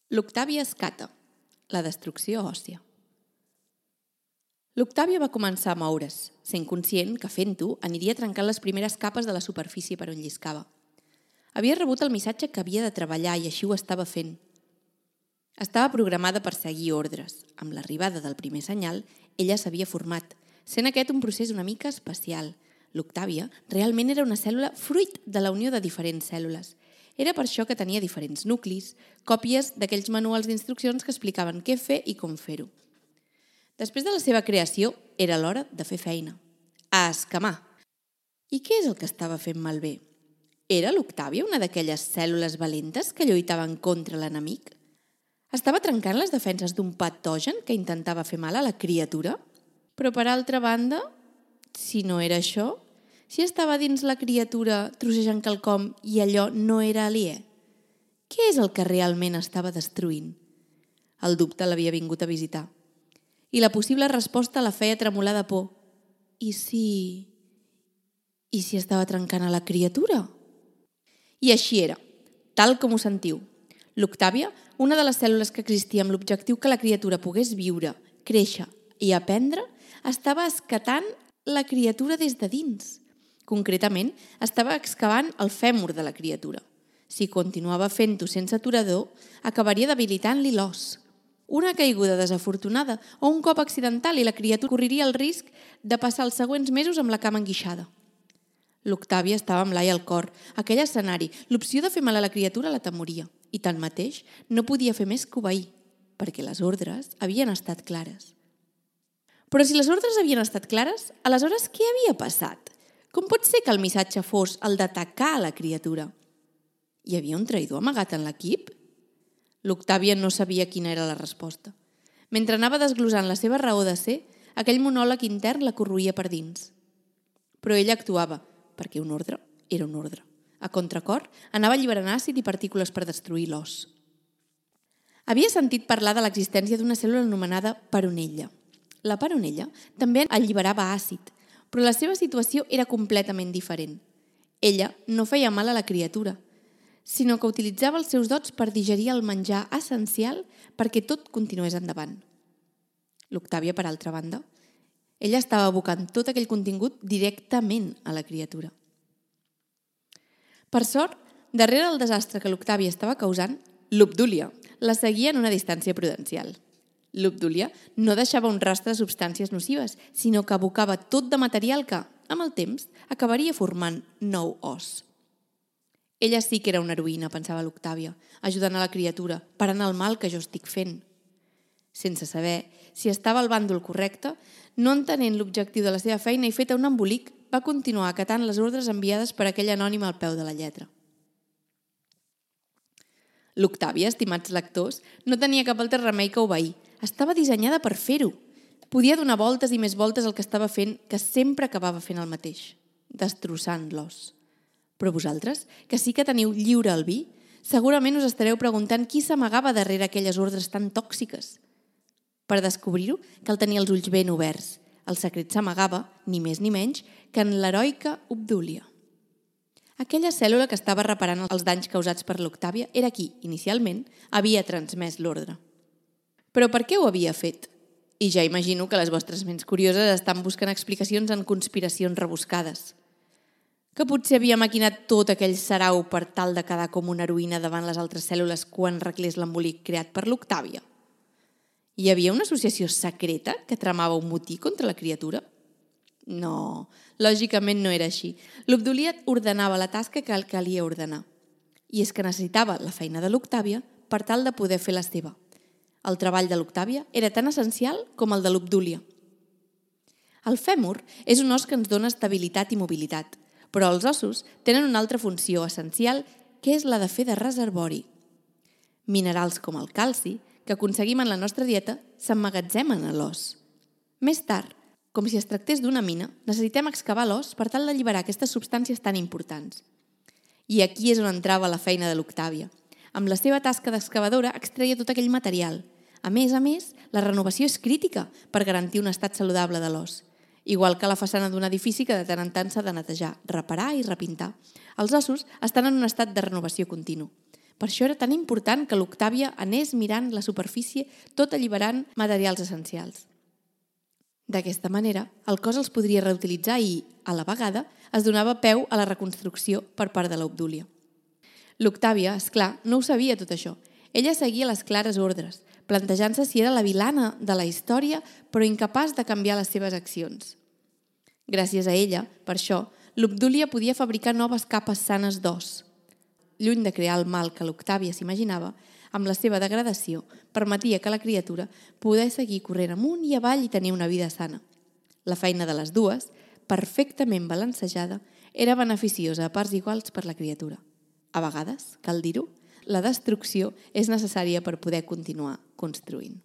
L'Octàvia Escata, la destrucció òssia. L'Octàvia va començar a moure's, sent conscient que fent-ho aniria trencant les primeres capes de la superfície per on lliscava. Havia rebut el missatge que havia de treballar i així ho estava fent. Estava programada per seguir ordres. Amb l'arribada del primer senyal, ella s'havia format, sent aquest un procés una mica especial. L'Octàvia realment era una cèl·lula fruit de la unió de diferents cèl·lules. Era per això que tenia diferents nuclis, còpies d'aquells manuals d'instruccions que explicaven què fer i com fer-ho. Després de la seva creació, era l'hora de fer feina. A escamar. I què és el que estava fent malbé? Era l'Octàvia una d'aquelles cèl·lules valentes que lluitaven contra l'enemic? Estava trencant les defenses d'un patogen que intentava fer mal a la criatura? Però per altra banda, si no era això, si estava dins la criatura trossejant quelcom i allò no era aliè, què és el que realment estava destruint? El dubte l'havia vingut a visitar. I la possible resposta la feia tremolar de por. I si estava trencant a la criatura? I així era, tal com ho sentiu. L'Octàvia, una de les cèl·lules que existia amb l'objectiu que la criatura pogués viure, créixer i aprendre, estava escatant la criatura des de dins. Concretament, estava excavant el fèmur de la criatura. Si continuava fent-ho sense aturador, acabaria debilitant-li l'os. Una caiguda desafortunada o un cop accidental i la criatura correria el risc de passar els següents mesos amb la cama enguixada. L'Octàvia estava amb l'ai al cor. Aquell escenari, l'opció de fer mal a la criatura la temoria i tanmateix no podia fer més que obeir, perquè les ordres havien estat clares. Però si les ordres havien estat clares, aleshores què havia passat? Com pot ser que el missatge fos el d'atacar a la criatura? Hi havia un traïdor amagat en l'equip? L'Octàvia no sabia quina era la resposta. Mentre anava desglosant la seva raó de ser, aquell monòleg intern la corroïa per dins. Però ella actuava, perquè un ordre era un ordre. A contracor, anava alliberant àcid i partícules per destruir l'os. Havia sentit parlar de l'existència d'una cèl·lula anomenada peronella. La peronella també alliberava àcid, però la seva situació era completament diferent. Ella no feia mal a la criatura, sinó que utilitzava els seus dots per digerir el menjar essencial perquè tot continués endavant. L'Octàvia, per altra banda, ella estava abocant tot aquell contingut directament a la criatura. Per sort, darrere del desastre que l'Octàvia estava causant, l'Obdúlia la seguia en una distància prudencial. L'Obdúlia no deixava un rastre de substàncies nocives, sinó que abocava tot de material que, amb el temps, acabaria formant nou os. Ella sí que era una heroïna, pensava l'Octàvia, ajudant a la criatura, parant el mal que jo estic fent. Sense saber si estava al bàndol correcte, no entenent l'objectiu de la seva feina i feta un embolic, va continuar acatant les ordres enviades per aquell anònim al peu de la lletra. L'Octàvia, estimats lectors, no tenia cap altre remei que obeir. Estava dissenyada per fer-ho. Podia donar voltes i més voltes al que estava fent, que sempre acabava fent el mateix, destrossant l'os. Però vosaltres, que sí que teniu lliure albir, segurament us estareu preguntant qui s'amagava darrere aquelles ordres tan tòxiques. Per descobrir-ho, cal tenir els ulls ben oberts. El secret s'amagava, ni més ni menys, que en l'heroica Obdúlia. Aquella cèl·lula que estava reparant els danys causats per l'Octàvia era qui, inicialment, havia transmès l'ordre. Però per què ho havia fet? I ja imagino que les vostres ments curioses estan buscant explicacions en conspiracions rebuscades. Que potser havia maquinat tot aquell sarau per tal de quedar com una heroïna davant les altres cèl·lules quan reclés l'embolic creat per l'Octàvia? Hi havia una associació secreta que tramava un motí contra la criatura? No, lògicament no era així. L'Obdúlia ordenava la tasca que calia ordenar. I és que necessitava la feina de l'Octàvia per tal de poder fer la seva. El treball de l'Octàvia era tan essencial com el de l'Obdúlia. El fèmur és un os que ens dona estabilitat i mobilitat, però els ossos tenen una altra funció essencial, que és la de fer de reservori. Minerals com el calci, que aconseguim en la nostra dieta, s'emmagatzemen a l'os. Més tard, com si es tractés d'una mina, necessitem excavar l'os per tal d'alliberar aquestes substàncies tan importants. I aquí és on entrava la feina de l'Octàvia. Amb la seva tasca d'excavadora extreia tot aquell material. A més, la renovació és crítica per garantir un estat saludable de l'os. Igual que la façana d'un edifici que de tant en tant s'ha de netejar, reparar i repintar. Els ossos estan en un estat de renovació continu. Per això era tan important que l'Octàvia anés mirant la superfície tot alliberant materials essencials. D'aquesta manera, el cos els podria reutilitzar i, a la vegada, es donava peu a la reconstrucció per part de l'Obdúlia. L'Octàvia, esclar, no ho sabia tot això. Ella seguia les clares ordres, plantejant-se si era la vilana de la història, però incapaç de canviar les seves accions. Gràcies a ella, per això, l'Obdúlia podia fabricar noves capes sanes d'os. Lluny de crear el mal que l'Octàvia s'imaginava, amb la seva degradació, permetia que la criatura pogués seguir corrent amunt i avall i tenir una vida sana. La feina de les dues, perfectament balancejada, era beneficiosa a parts iguals per la criatura. A vegades, cal dir-ho, la destrucció és necessària per poder continuar construint.